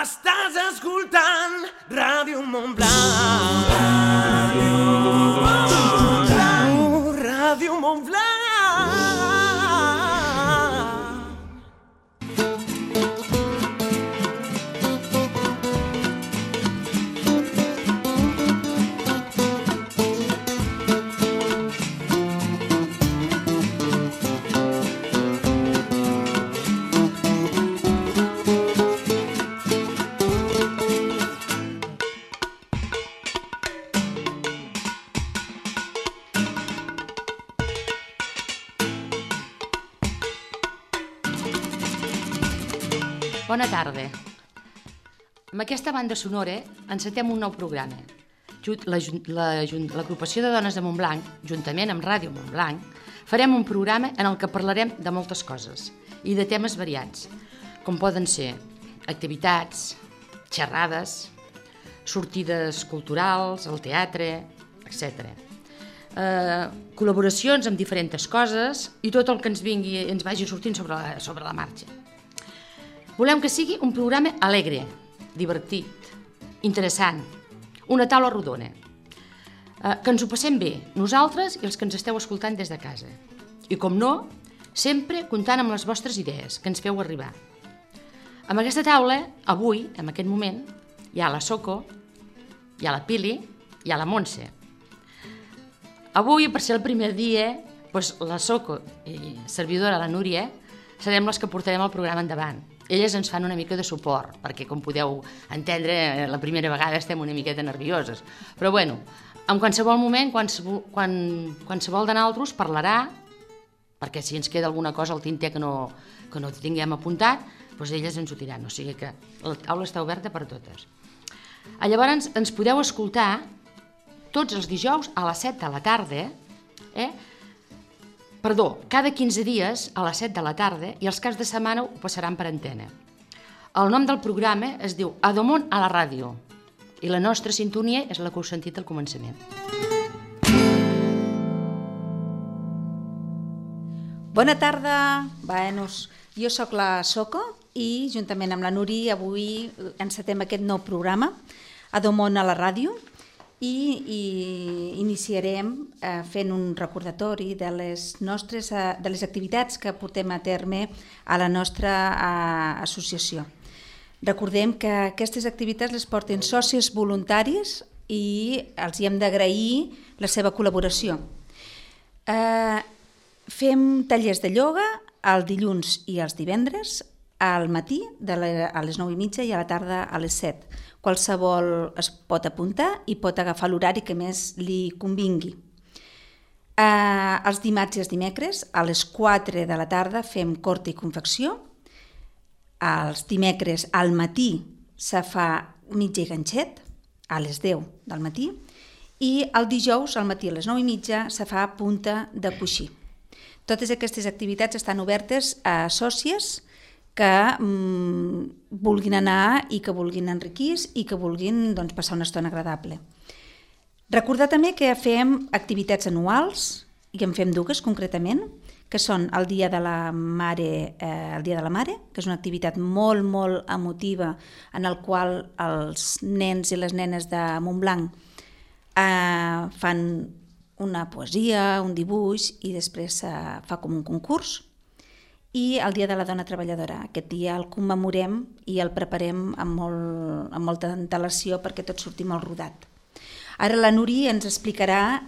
Estàs escoltant Ràdio Montblanc. Ràdio Montblanc. Bona tarda. Amb aquesta banda sonora encetem un nou programa. L'agrupació de dones de Montblanc, juntament amb Ràdio Montblanc, farem un programa en el que parlarem de moltes coses i de temes variats, com poden ser activitats, xerrades, sortides culturals, al teatre, etc. Col·laboracions amb diferents coses i tot el que ens vingui ens vagi sortint sobre la marxa. Volem que sigui un programa alegre, divertit, interessant, una taula rodona, que ens ho passem bé, nosaltres i els que ens esteu escoltant des de casa. I com no, sempre comptant amb les vostres idees, que ens feu arribar. Amb aquesta taula, avui, en aquest moment, hi ha la Soco, hi ha la Pili, hi ha la Montse. Avui, per ser el primer dia, la Soco i servidora, la Núria, serem les que portarem el programa endavant. Elles ens fan una mica de suport, perquè, com podeu entendre, la primera vegada estem una miqueta nervioses. Però, bueno, en qualsevol moment, qualsevol de nosaltres parlarà, perquè si ens queda alguna cosa al tinter que no tinguem apuntat, doncs elles ens ho diran. O sigui que la taula està oberta per totes. Llavors, ens podeu escoltar tots els dijous a les 7 de la tarda, cada 15 dies a les 7 de la tarda, i els caps de setmana ho passaran per antena. El nom del programa es diu Adomon a la ràdio i la nostra sintonia és la que heu sentit al començament. Bona tarda, jo sóc la Soco i juntament amb la Nuri avui encetem aquest nou programa Adomon a la ràdio. I iniciarem fent un recordatori de les activitats que portem a terme a la nostra associació. Recordem que aquestes activitats les porten socis voluntaris i els hi hem d'agrair la seva col·laboració. Fem tallers de ioga el dilluns i els divendres, al matí a les 9:30 i a la tarda a les 7. Qualsevol es pot apuntar i pot agafar l'horari que més li convingui. Els dimarts i els dimecres a les 4 de la tarda fem corta i confecció. Els dimecres al matí se fa mitja i ganxet a les 10 del matí i el dijous al matí a les 9:30 se fa punta de coixí. Totes aquestes activitats estan obertes a sòcies que vulguin anar i que vulguin enriquir i que vulguin passar una estona agradable. Recordar també que fem activitats anuals, i en fem dues concretament, que són el Dia de la Mare, que és una activitat molt, molt emotiva en el qual els nens i les nenes de Montblanc fan una poesia, un dibuix i després fa com un concurs. I el Dia de la Dona Treballadora. Aquest dia el commemorem i el preparem amb molta antelació perquè tot surti molt rodat. Ara la Nuri ens explicarà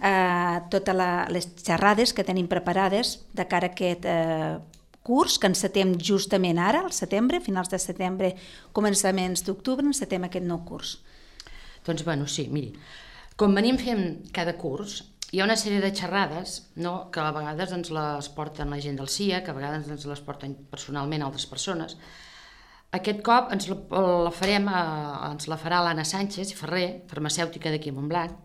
totes les xerrades que tenim preparades de cara a aquest curs que encetem justament ara, al setembre, finals de setembre, començaments d'octubre, encetem aquest nou curs. Doncs sí, miri, com venim fent cada curs, hi ha una sèrie de xerrades que a vegades ens les porten la gent del CIA, que a vegades ens les porten personalment altres persones. Aquest cop ens la farà l'Anna Sánchez i Ferrer, farmacèutica d'aquí a Montblanc.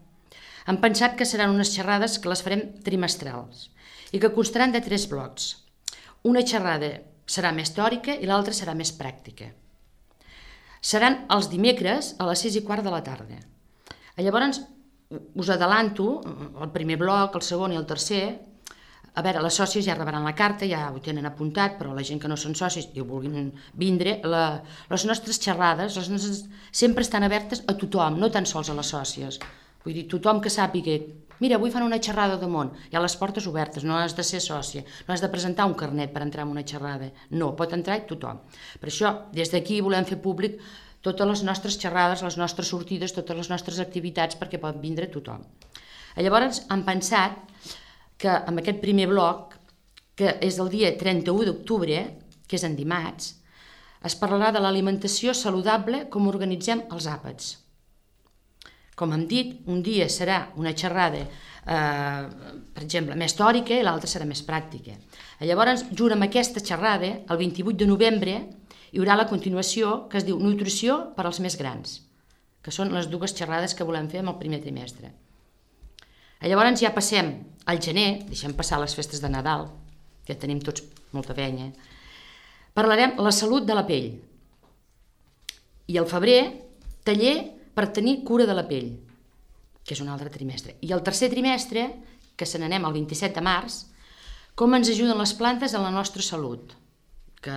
Hem pensat que seran unes xerrades que les farem trimestrals i que constaran de 3 blocs. Una xerrada serà més teòrica i l'altra serà més pràctica. Seran els dimecres a les 6:15 de la tarda. Llavors, us adelanto, el primer bloc, el segon i el tercer, A veure, les sòcies ja rebran la carta, ja ho tenen apuntat, però la gent que no són socis i ho vulguin vindre, les nostres xerrades sempre estan obertes a tothom, no tan sols a les sòcies. Vull dir, tothom que sàpiga, mira, avui fan una xerrada de món, hi ha les portes obertes, no has de ser sòcia, no has de presentar un carnet per entrar en una xerrada, no, pot entrar tothom. Per això, des d'aquí volem fer públic totes les nostres xerrades, les nostres sortides, totes les nostres activitats perquè pot vindre tothom. Llavors hem pensat que amb aquest primer bloc, que és el dia 31 d'octubre, que és en dimarts, es parlarà de l'alimentació saludable com organitzem els àpats. Com hem dit, un dia serà una xerrada, per exemple, més teòrica i l'altra serà més pràctica. Llavors, junt amb aquesta xerrada, el 28 de novembre, hi haurà la continuació que es diu Nutrició per als més grans, que són les dues xerrades que volem fer en el primer trimestre. Llavors ja passem al gener, deixem passar les festes de Nadal, que tenim tots molta feina, parlarem la salut de la pell. I al febrer, taller per tenir cura de la pell, que és un altre trimestre. I el tercer trimestre, que se n'anem el 27 de març, com ens ajuden les plantes a la nostra salut. Que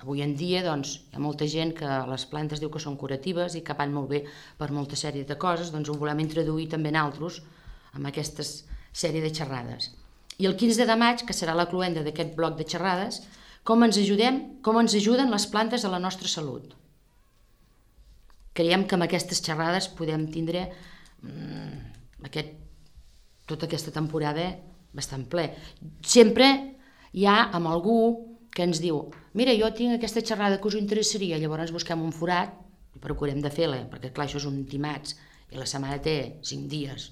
avui en dia doncs, hi ha molta gent que les plantes diu que són curatives i que van molt bé per molta sèrie de coses, doncs ho volem introduir també nosaltres amb aquesta sèrie de xerrades. I el 15 de maig, que serà la cloenda d'aquest bloc de xerrades, com ens ajuden les plantes a la nostra salut. Creiem que amb aquestes xerrades podem tindre tota aquesta temporada bastant ple. Sempre hi ha amb algú que ens diu mira, jo tinc aquesta xerrada que us interessaria, llavors busquem un forat i procurem de fer-la, perquè clar, això és un dimarts i la setmana té 5 dies.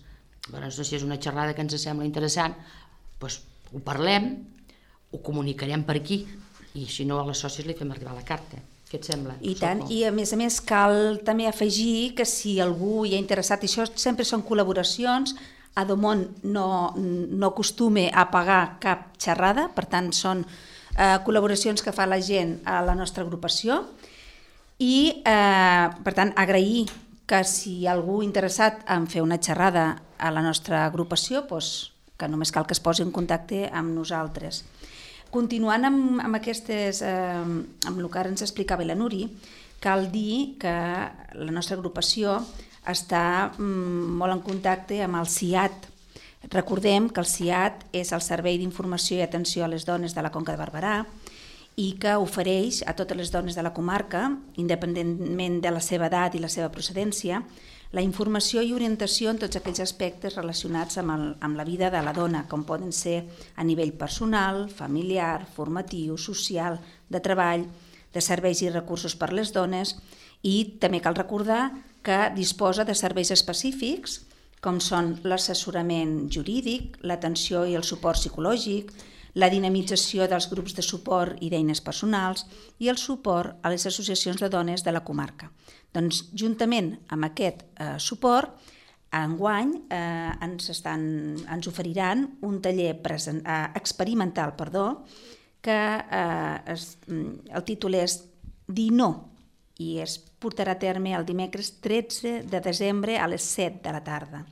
Llavors, si és una xerrada que ens sembla interessant, doncs ho parlem, ho comunicarem per aquí i si no a les sòcies li fem arribar la carta. Què et sembla? I tant, i a més cal també afegir que si algú hi ha interessat, i això sempre són col·laboracions, Adomon no acostuma a pagar cap xerrada, per tant són col·laboracions que fa la gent a la nostra agrupació i per tant agrair que si algú interessat en fer una xerrada a la nostra agrupació, doncs, que només cal que es posi en contacte amb nosaltres. Continuant amb el que ara ens explicava la Nuri, cal dir que la nostra agrupació està molt en contacte amb el CIAT. Recordem que el CIAT és el Servei d'Informació i Atenció a les Dones de la Conca de Barberà i que ofereix a totes les dones de la comarca, independentment de la seva edat i la seva procedència, la informació i orientació en tots aquells aspectes relacionats amb la vida de la dona, com poden ser a nivell personal, familiar, formatiu, social, de treball, de serveis i recursos per a les dones, i també cal recordar que disposa de serveis específics, com són l'assessorament jurídic, l'atenció i el suport psicològic, la dinamització dels grups de suport i d'eines personals i el suport a les associacions de dones de la comarca. Doncs, juntament amb aquest suport, enguany ens oferiran un taller experimental, que el títol és Dir no, i es portarà a terme el dimecres 13 de desembre a les 7 de la tarda.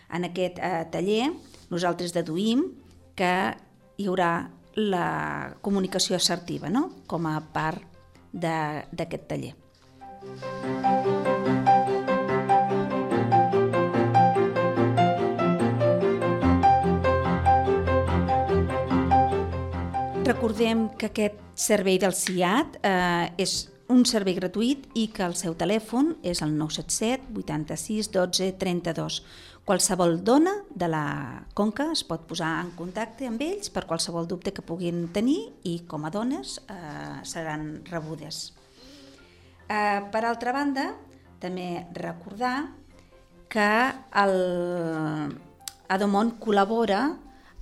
En aquest taller nosaltres deduïm que hi haurà la comunicació assertiva, no?, com a part d'aquest taller. Recordem que aquest servei del CIAT és un servei gratuït i que el seu telèfon és el 977 86 12 32. Qualsevol dona de la Conca es pot posar en contacte amb ells per qualsevol dubte que puguin tenir i com a dones seran rebudes. Per altra banda, també recordar que Adomon col·labora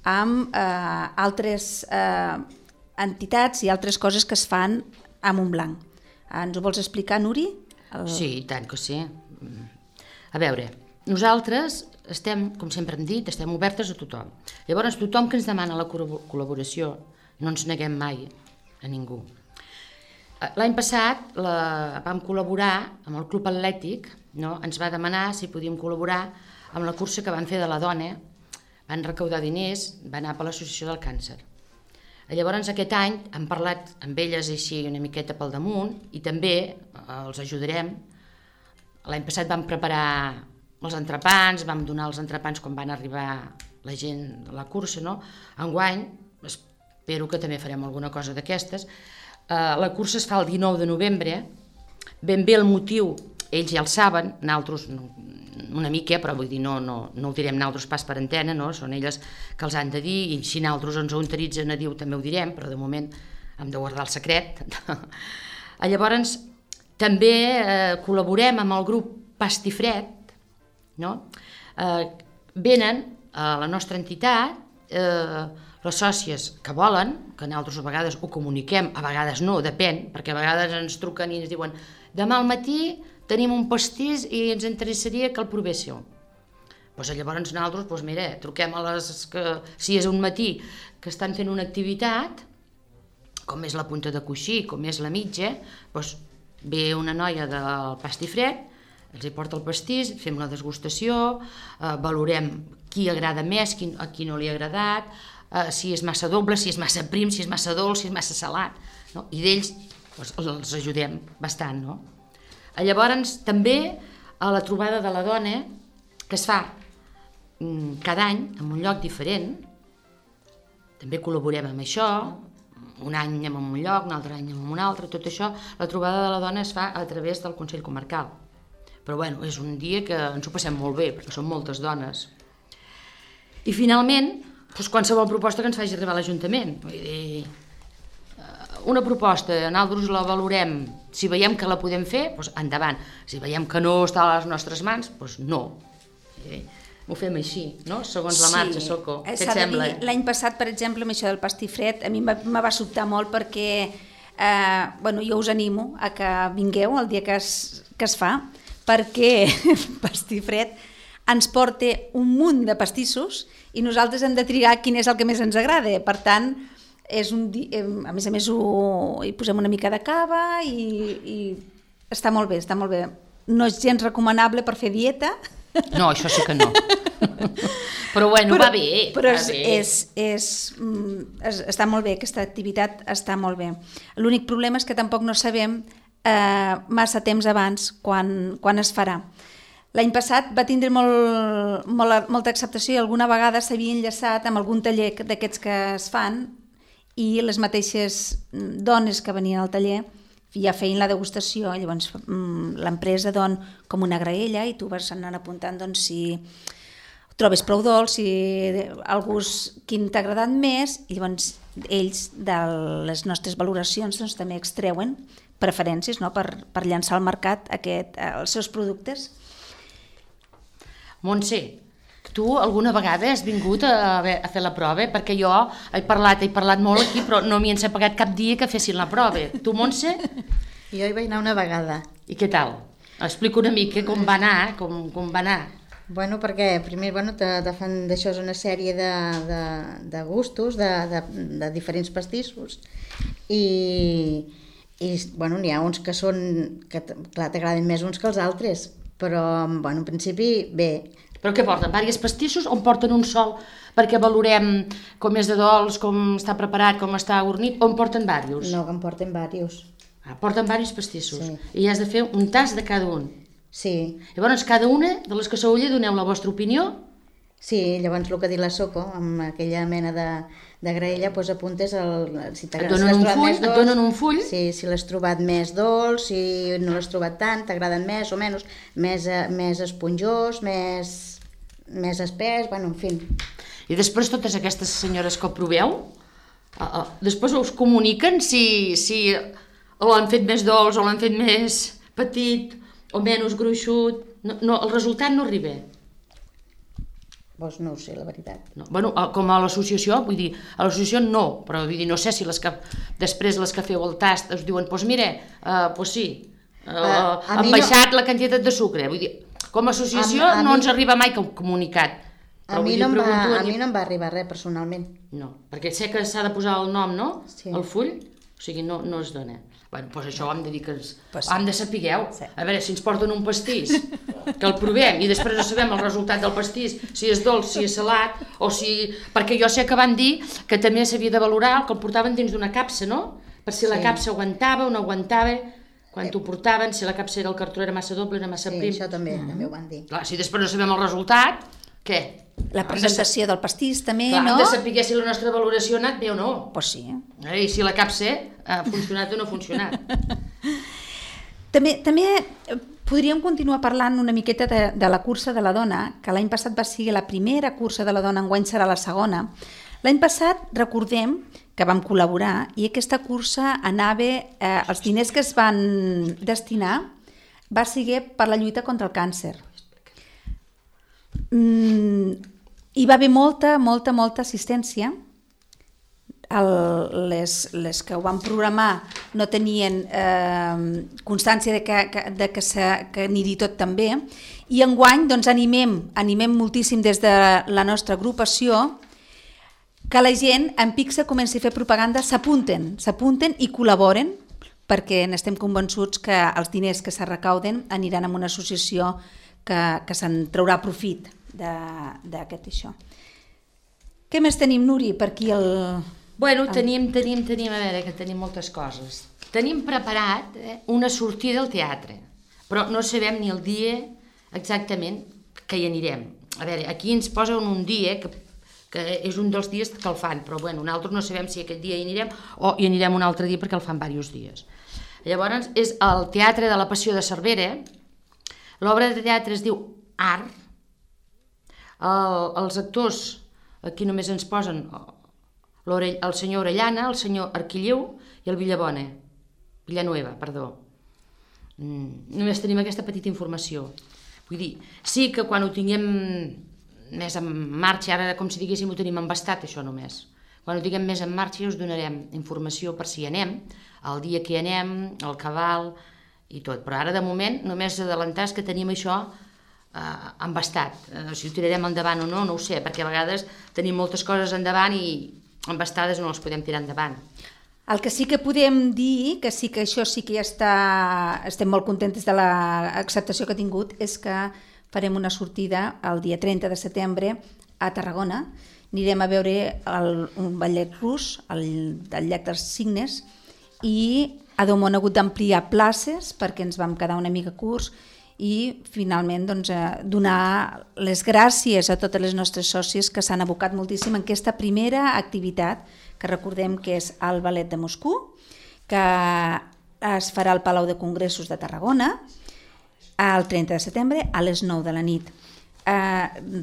amb altres entitats i altres coses que es fan a Montblanc. Ens ho vols explicar, Nuri? Sí, i tant que sí. A veure, nosaltres estem, com sempre hem dit, estem obertes a tothom. Llavors, tothom que ens demana la col·laboració, no ens neguem mai a ningú. L'any passat vam col·laborar amb el Club Atlètic, no? Ens va demanar si podíem col·laborar amb la cursa que van fer de la dona. van recaudar diners, va anar per l'Associació del Càncer. Llavors aquest any hem parlat amb elles així una miqueta pel damunt i també els ajudarem. L'any passat vam preparar els entrepans, vam donar els entrepans quan van arribar la gent de la cursa, no? Enguany espero que també farem alguna cosa d'aquestes. La cursa es fa el 19 de novembre, ben bé el motiu ells ja el saben, nosaltres una mica, però vull dir, no ho direm nosaltres pas per antena, no? Són elles que els han de dir, i si nosaltres ens ho autoritzen a dir també ho direm, però de moment hem de guardar el secret. Llavors, també col·laborem amb el grup Pastifred, no? Venen a la nostra entitat les sòcies que volen, que nosaltres a vegades ho comuniquem, a vegades no, depèn, perquè a vegades ens truquen i ens diuen demà al matí tenim un pastís i ens interessaria que el provéssim. Llavors nosaltres, mira, truquem a les que, si és un matí que estan fent una activitat, com és la punta de coixí, com és la mitja, ve una noia del Pastifred, els hi porta el pastís, fem la degustació, valorem qui agrada més, a qui no li ha agradat, si és massa doble, si és massa prim, si és massa dolç, si és massa salat, no? I d'ells els ajudem bastant, no? Llavors també a la trobada de la dona, que es fa cada any en un lloc diferent, també col·laborem amb això, un any anem en un lloc, un altre any anem en un altre, tot això, la trobada de la dona es fa a través del Consell Comarcal. Però bueno, és un dia que ens ho passem molt bé, perquè són moltes dones. I finalment, qualsevol proposta que ens faci arribar a l'Ajuntament. Vull dir, una proposta, nosaltres la valorem, si veiem que la podem fer, endavant. Si veiem que no està a les nostres mans, no. Ho fem així, no? Segons la marxa, Soco. Què et sembla? L'any passat, per exemple, amb això del pastifred, a mi me va sobtar molt perquè jo us animo a que vingueu el dia que es fa, perquè Pastifred ens porta un munt de pastissos i nosaltres hem de triar quin és el que més ens agrada. Per tant, a més a més hi posem una mica de cava i està molt bé, està molt bé. No és gens recomanable per fer dieta. No, això sí que no. Però bueno, va bé. Però està molt bé, aquesta activitat està molt bé. L'únic problema és que tampoc no sabem massa temps abans quan es farà. L'any passat va tindre molta acceptació i alguna vegada s'havia enllaçat amb algun taller d'aquests que es fan i les mateixes dones que venien al taller ja feien la degustació, llavors l'empresa don com una graella i tu vas anant apuntant si trobes prou dolç, si el gust quin t'ha agradat més, i llavors ells de les nostres valoracions també extreuen preferències per llançar al mercat els seus productes. Montse, tu alguna vegada has vingut a fer la prova? Perquè jo he parlat molt aquí, però no m'hi han pagat cap dia que fessin la prova. Tu, Montse? Jo hi vaig anar una vegada. I què tal? Explica una mica com va anar, com va anar. Bueno, perquè primer te fan d'això una sèrie de gustos, de diferents pastissos, i n'hi ha uns que t'agraden més uns que els altres, però en principi bé. Però què porten? Diversos pastissos o en porten un sol perquè valorem com és de dolç, com està preparat, com està ornit, o en porten diversos? No, que en porten diversos. Porten diversos pastissos. Sí. I has de fer un tast de cada un. Sí. Llavors, cada una de les que sou allà doneu la vostra opinió? Sí, llavors el que ha dit la Soco, amb aquella mena de graella, apuntes si et donen un full? Sí, si l'has trobat més dolç, si no l'has trobat tant, t'agraden més o menys, més esponjós, més espès, en fi. I després totes aquestes senyores que ho proveu, després us comuniquen si l'han fet més dolç o l'han fet més petit o menys gruixut? No, el resultat no arriba. Doncs no ho sé, la veritat. No. Com a l'associació, vull dir, a l'associació no, però vull dir, no sé si després les que feu el tast us diuen, mira, sí, han baixat la quantitat de sucre. Vull dir, com a associació no ens arriba mai cap comunicat. A mi no em va arribar res, personalment. No, perquè sé que s'ha de posar el nom, no? Sí. El full, o sigui, no es dona. Bueno, doncs això ho hem de dir que Pues hem de sapigueu. Sí. A veure, si ens porten un pastís, que el provem i després no sabem el resultat del pastís, si és dolç, si és salat, o si... Perquè jo sé que van dir que també s'havia de valorar que el portaven dins d'una capsa, no? Per si la capsa aguantava o no aguantava, quan t'ho portaven, si la capsa era el cartró era massa doble, era massa Sí, prim. això també ho van dir. Clar, si després no sabem el resultat, què? La presentació del pastís també, Clar, no? hem de saber si la nostra valoració ha anat bé o no. Pues sí. I si la capsa ha funcionat o no ha funcionat. També podríem continuar parlant una miqueta de la cursa de la dona, que l'any passat va ser la primera cursa de la dona, enguany serà la segona. L'any passat, recordem que vam col·laborar i aquesta cursa anava, els diners que es van destinar va ser per la lluita contra el càncer. Hi va haver molta assistència. Les que ho van programar no tenien constància de que anirhi tot tan bé, i enguany doncs, animem moltíssim des de la nostra agrupació que la gent en Pixa comenci a fer propaganda, s'apunten i col·laboren, perquè n'estem convençuts que els diners que se recauden aniran a una associació que se'n traurà profit d'aquest això. Què més tenim, Nuri, per aquí Bueno, tenim, a veure, que tenim moltes coses. Tenim preparat una sortida al teatre, però no sabem ni el dia exactament que hi anirem. A veure, aquí ens posen un dia, que és un dels dies que el fan, però bueno, nosaltres no sabem si aquest dia hi anirem o hi anirem un altre dia perquè el fan diversos dies. Llavors, és el Teatre de la Passió de Cervera. L'obra de teatre es diu Art. Els actors, aquí només ens posen el senyor Orellana, el senyor Arquilleu i el Villanueva, perdó. Només tenim aquesta petita informació. Vull dir, sí que quan ho tinguem més en marxa, ara com si diguéssim ho tenim embastat, això només. Quan ho tinguem més en marxa us donarem informació per si hi anem, el dia que hi anem, el cabal i tot. Però ara de moment només adelantar que tenim això embastat. Si ho tirarem endavant o no, no ho sé, perquè a vegades tenim moltes coses endavant i embastades no les podem tirar endavant. El que sí que podem dir, que sí que això sí que ja estem molt contents de l'acceptació que ha tingut, és que farem una sortida el dia 30 de setembre a Tarragona. Anirem a veure un ballet rus, del Llac dels Cignes, i a Déu m'ho hagut d'ampliar places perquè ens vam quedar una mica curts i finalment donar les gràcies a totes les nostres sòcies que s'han abocat moltíssim en aquesta primera activitat, que recordem que és el Ballet de Moscou, que es farà al Palau de Congressos de Tarragona el 30 de setembre a les 9 de la nit.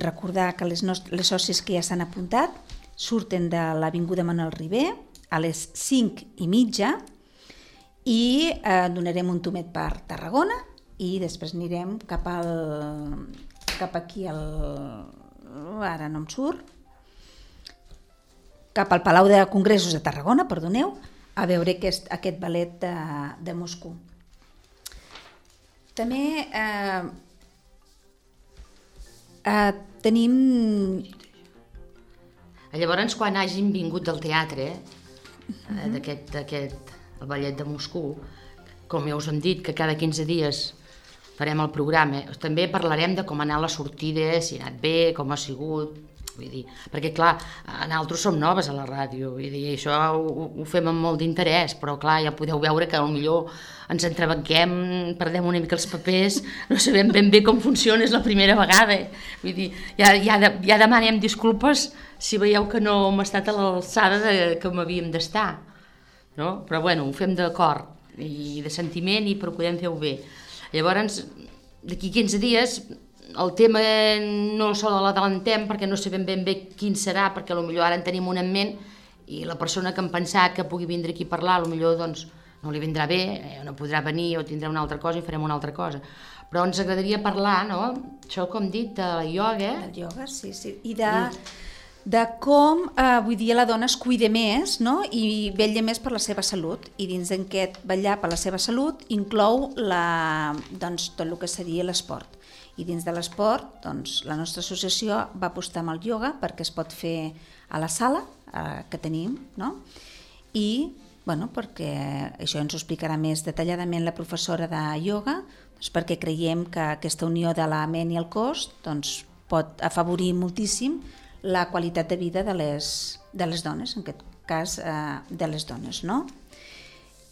Recordar que les sòcies que ja s'han apuntat surten de l'Avinguda Manuel Ribé a les 5:30 i donarem un tomet per Tarragona i després anirem cap aquí, ara no em surt, cap al Palau de Congressos de Tarragona, perdoneu, a veure aquest ballet de Moscou. També tenim... Llavors, quan hàgim vingut del teatre, el ballet de Moscou, com ja us hem dit, que cada 15 dies farem el programa, també parlarem de com ha anat la sortida, si ha anat bé, com ha sigut, vull dir, perquè clar, nosaltres som noves a la ràdio, vull dir, això ho fem amb molt d'interès, però clar, ja podeu veure que potser ens entrebanquem, perdem una mica els papers, no sabem ben bé com funciona, és la primera vegada, vull dir, ja demanem disculpes si veieu que no hem estat a l'alçada que m'havíem d'estar, no? Però bueno, ho fem d'acord i de sentiment i procurem fer-ho bé. Llavors, d'aquí 15 dies, el tema no se l'adelantem perquè no sabem ben bé quin serà, perquè potser ara en tenim un en ment i la persona que hem pensat que pugui vindre aquí a parlar, potser doncs, no li vindrà bé, no podrà venir o tindrà una altra cosa i farem una altra cosa. Però ens agradaria parlar, no? Això, com dit, de la ioga. El ioga, sí. I de com, vull dir, la dona es cuida més, no? I vetlla més per la seva salut. I dins d'aquest vetllar per la seva salut inclou doncs, tot el que seria l'esport. I dins de l'esport, doncs, la nostra associació va apostar amb el ioga perquè es pot fer a la sala que tenim, no? I perquè això ens ho explicarà més detalladament la professora de ioga, doncs perquè creiem que aquesta unió de la ment i el cos doncs, pot afavorir moltíssim la qualitat de vida de les dones, en aquest cas de les dones. No?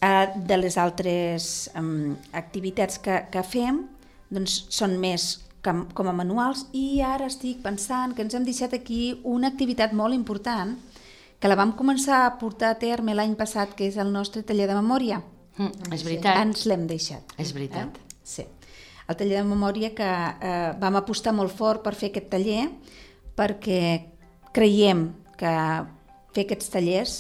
De les altres activitats que fem doncs, són més com a manuals, i ara estic pensant que ens hem deixat aquí una activitat molt important que la vam començar a portar a terme l'any passat, que és el nostre taller de memòria. És veritat. Ens l'hem deixat. És veritat. Sí. El taller de memòria que vam apostar molt fort per fer aquest taller, perquè creiem que fer aquests tallers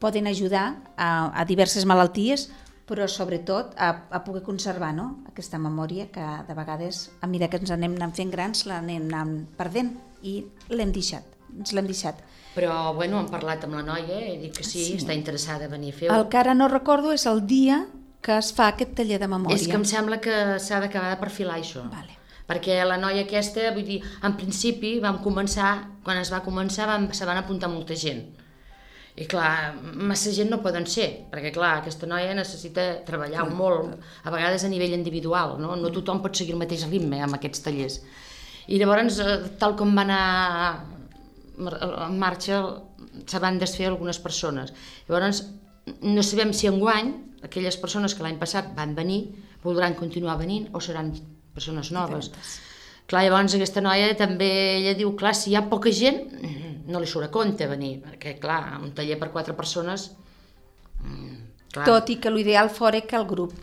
poden ajudar a diverses malalties, però sobretot a poder conservar, no? Aquesta memòria que de vegades, a mesura que ens anem anant fent grans, l'anem anant perdent, i l'hem deixat, ens l'hem deixat. Però, bueno, hem parlat amb la noia, he dit que sí, està interessada a venir a fer-ho. El que ara no recordo és el dia que es fa aquest taller de memòria. És que em sembla que s'ha d'acabar de perfilar això. Vale. Perquè la noia aquesta, vull dir, en principi vam començar, quan es va començar se van apuntar molta gent. I clar, massa gent no poden ser, perquè clar, aquesta noia necessita treballar molt, a vegades a nivell individual, no? No tothom pot seguir el mateix ritme amb aquests tallers. I llavors, tal com va anar en marxa, se van desfer algunes persones. Llavors, no sabem si enguany aquelles persones que l'any passat van venir voldran continuar venint o seran persones noves. Clar, llavors aquesta noia també, ella diu, clar, si hi ha poca gent, no li surt a compte venir, perquè clar, un taller per 4 persones... Clar. Tot i que l'ideal fora que el grup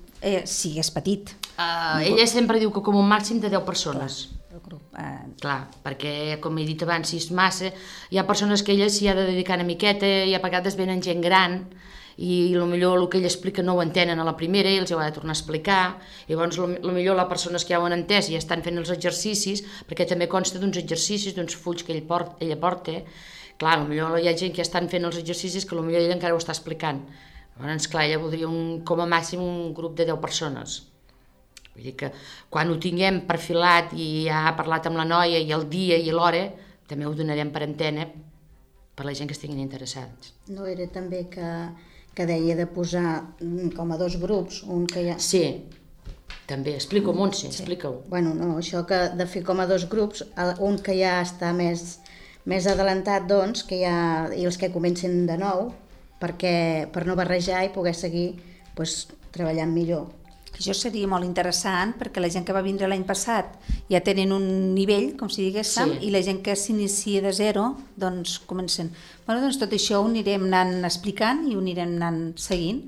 sigués petit. Ella sempre diu que com un màxim de 10 persones. El grup, Clar, perquè, com he dit abans, si és massa, hi ha persones que ella s'hi ha de dedicar una miqueta, i a vegades venen gent gran, i potser el que ell explica no ho entenen a la primera i els ho ha de tornar a explicar. I llavors potser les persones que ja ho han entès i estan fent els exercicis, perquè també consta d'uns exercicis, d'uns fulls que ella porta. Clar, potser hi ha gent que ja estan fent els exercicis que potser ella encara ho està explicant. Llavors, clar, ella voldria com a màxim un grup de 10 persones. Vull dir que quan ho tinguem perfilat i ja ha parlat amb la noia i el dia i l'hora, també ho donarem per antena per la gent que estiguin interessats. No era també que deia de posar com a 2 grups, un que ja... Sí, també, explica-ho, Montse, explica-ho. Bueno, no, això que de fer com a 2 grups, un que ja està més adelantat, doncs, que ja, i els que comencen de nou, per no barrejar i poder seguir doncs, treballant millor. Això seria molt interessant, perquè la gent que va vindre l'any passat ja tenen un nivell, com si diguéssim, i la gent que s'inicia de zero, doncs comencen. Bueno, doncs tot això ho anirem anant explicant i ho anirem anant seguint.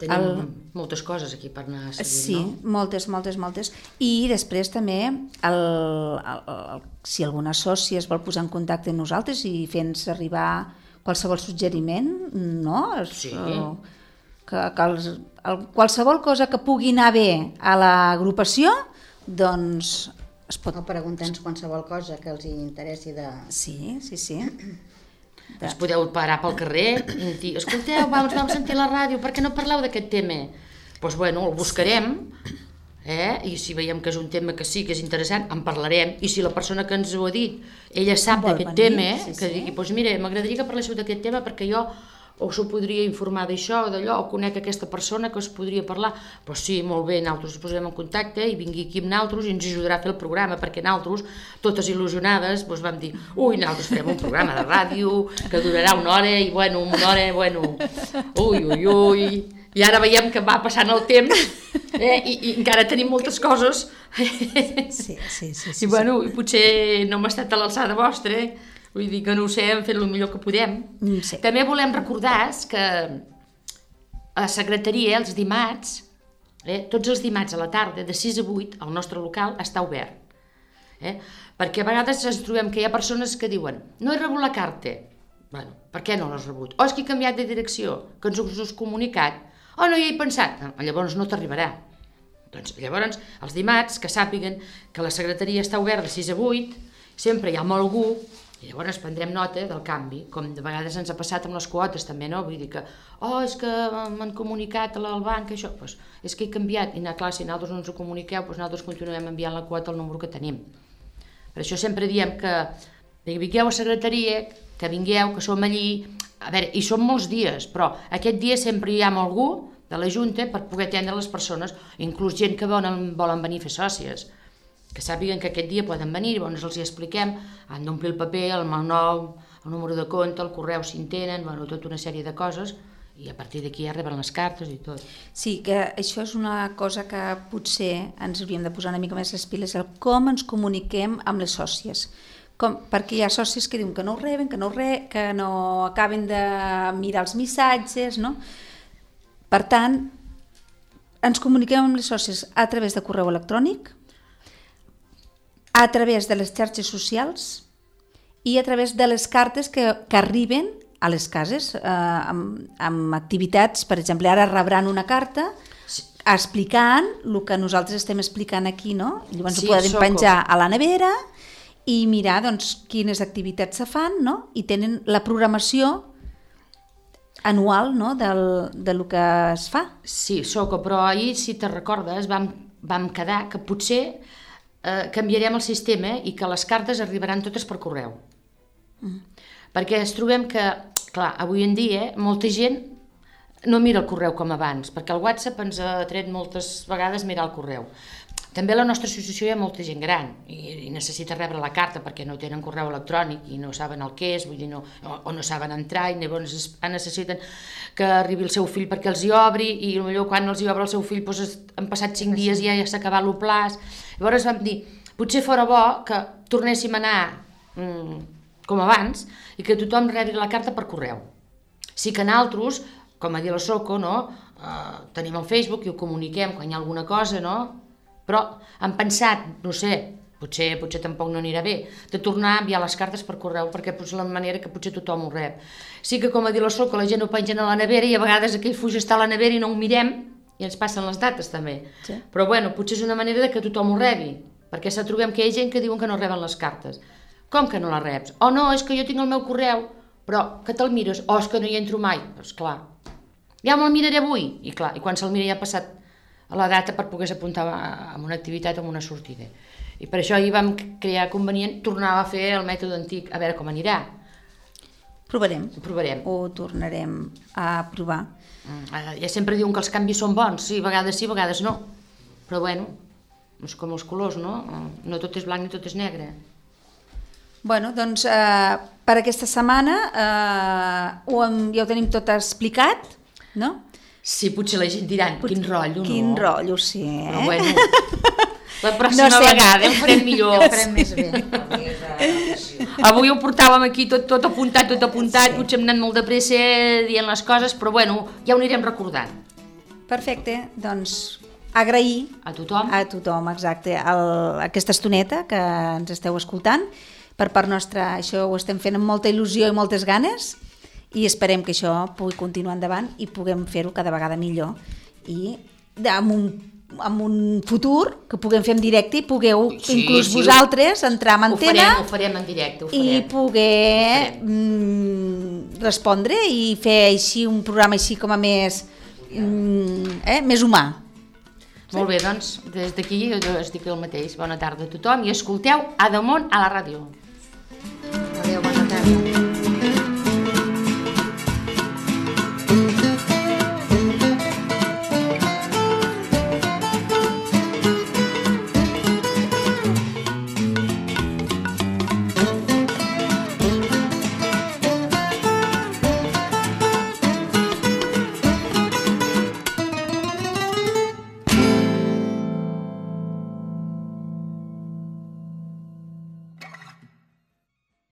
Tenim moltes coses aquí per anar seguint, sí, no? Sí, moltes. I després també, si alguna sòcia es vol posar en contacte amb nosaltres i fer-nos arribar qualsevol suggeriment, no? Sí. Qualsevol cosa que pugui anar bé a l'agrupació, doncs es pot... O preguntar-nos qualsevol cosa que els interessi de... Sí. Us podeu parar pel carrer i dir, escolteu, vam sentir la ràdio, per què no parleu d'aquest tema? Doncs bueno, el buscarem, i si veiem que és un tema que sí, que és interessant, en parlarem, i si la persona que ens ho ha dit, ella sap d'aquest tema, que digui, doncs mira, m'agradaria que parléssiu d'aquest tema perquè jo o s'ho podria informar d'això o d'allò, o conec aquesta persona que us podria parlar, doncs sí, molt bé, nosaltres ens posarem en contacte i vingui aquí amb nosaltres i ens ajudarà a fer el programa, perquè nosaltres, totes il·lusionades, doncs vam dir, nosaltres farem un programa de ràdio que durarà una hora, i una hora, ui, i ara veiem que va passant el temps, i encara tenim moltes coses, sí. I potser no hem estat a l'alçada vostra, vull dir que no ho sé, hem fet el millor que podem. Sí. També volem recordar que a la secretaria els dimarts, tots els dimarts a la tarda, de 6 a 8, el nostre local està obert. Perquè a vegades ens trobem que hi ha persones que diuen no he rebut la carta. Bueno, per què no l'has rebut? O és que he canviat de direcció, que ens us has comunicat. O no hi he pensat. Llavors no t'arribarà. Doncs llavors, els dimarts, que sàpiguen que la secretaria està oberta de 6 a 8, sempre hi ha algú. I llavors prendrem nota del canvi, com de vegades ens ha passat amb les quotes també, no? Vull dir que, és que m'han comunicat al banc això, doncs és que he canviat, i clar, si nosaltres no ens ho comuniqueu, doncs nosaltres continuem enviant la quota al número que tenim. Per això sempre diem que vingueu a secretaria, que vingueu, que som allí, a veure, hi som molts dies, però aquest dia sempre hi ha algú de la Junta per poder atendre les persones, inclús gent que volen venir a fer sòcies, que sàpiguen que aquest dia poden venir, llavors els hi expliquem, han d'omplir el paper, el nom, el número de compte, el correu si en tenen, bueno, tota una sèrie de coses, i a partir d'aquí ja reben les cartes i tot. Sí, que això és una cosa que potser ens hauríem de posar una mica més les piles, el com ens comuniquem amb les sòcies. Perquè hi ha sòcies que diuen que no ho reben, que no acaben de mirar els missatges, no? Per tant, ens comuniquem amb les sòcies a través de correu electrònic, a través de les xarxes socials i a través de les cartes que arriben a les cases, amb activitats. Per exemple, ara rebran una carta explicant el que nosaltres estem explicant aquí, no? Llavors ho poden penjar a la nevera i mirar quines activitats se fan, no? I tenen la programació anual, no? de lo que es fa. Sí, Soco, però ahir, si te recordes, vam quedar que potser canviarem el sistema i que les cartes arribaran totes per correu. Perquè ens trobem que, clar, avui en dia molta gent no mira el correu com abans, perquè el WhatsApp ens ha tret moltes vegades mirar el correu. També a la nostra associació hi ha molta gent gran i necessita rebre la carta perquè no tenen correu electrònic i no saben el que és, vull dir, o no saben entrar i llavors necessiten que arribi el seu fill perquè els hi obri i potser quan els hi obre el seu fill han passat 5 dies i ja s'ha acabat el plaç. Llavors vam dir, potser fora bo que tornéssim a anar com abans i que tothom rebi la carta per correu. Sí que nosaltres, com a dir la Soco, tenim el Facebook i ho comuniquem quan hi ha alguna cosa, no? Però hem pensat, no sé, potser tampoc no anirà bé, de tornar a enviar les cartes per correu perquè és la manera que potser tothom ho rep. Sí que, com a dir la Soco, la gent ho pengen a la nevera i a vegades aquell fuix està a la nevera i no ho mirem i ens passen les dates també. Sí. Però bueno, potser és una manera que tothom ho rebi, perquè se trobem que hi ha gent que diuen que no reben les cartes. Com que no les reps? O no, és que jo tinc el meu correu, però que te'l mires, o és que no hi entro mai. Doncs clar, ja me'l miraré avui. I clar, i quan se'l mira ja ha passat a la data per poder apuntar a una activitat o a una sortida. I per això ahir vam crear convenient tornar a fer el mètode antic, a veure com anirà. Provarem. Ho tornarem a provar. Ja sempre diuen que els canvis són bons, sí, vegades no. Però bueno, és com els colors, no? No tot és blanc ni tot és negre. Bueno, doncs per aquesta setmana ja ho tenim tot explicat, no? Sí, potser la gent diran, quin rotllo, no? Quin rotllo, sí, Però bueno, la pròxima vegada ho farem millor. Ho farem més bé. Avui ho portàvem aquí tot apuntat, sí. Potser hem anat molt de pressa dient les coses, però bueno, ja ho anirem recordant. Perfecte, doncs agrair a tothom, exacte, aquesta estoneta que ens esteu escoltant. Per part nostra això ho estem fent amb molta il·lusió i moltes ganes i esperem que això pugui continuar endavant i puguem fer-ho cada vegada millor i amb un futur que puguem fer en directe i pugueu inclús vosaltres entrar en antena ho farem en directe i poder respondre i fer així un programa així com a més humà. Molt bé, doncs des d'aquí jo us dic el mateix. Bona tarda a tothom i escolteu A Damunt a la ràdio. Adéu, bona tarda.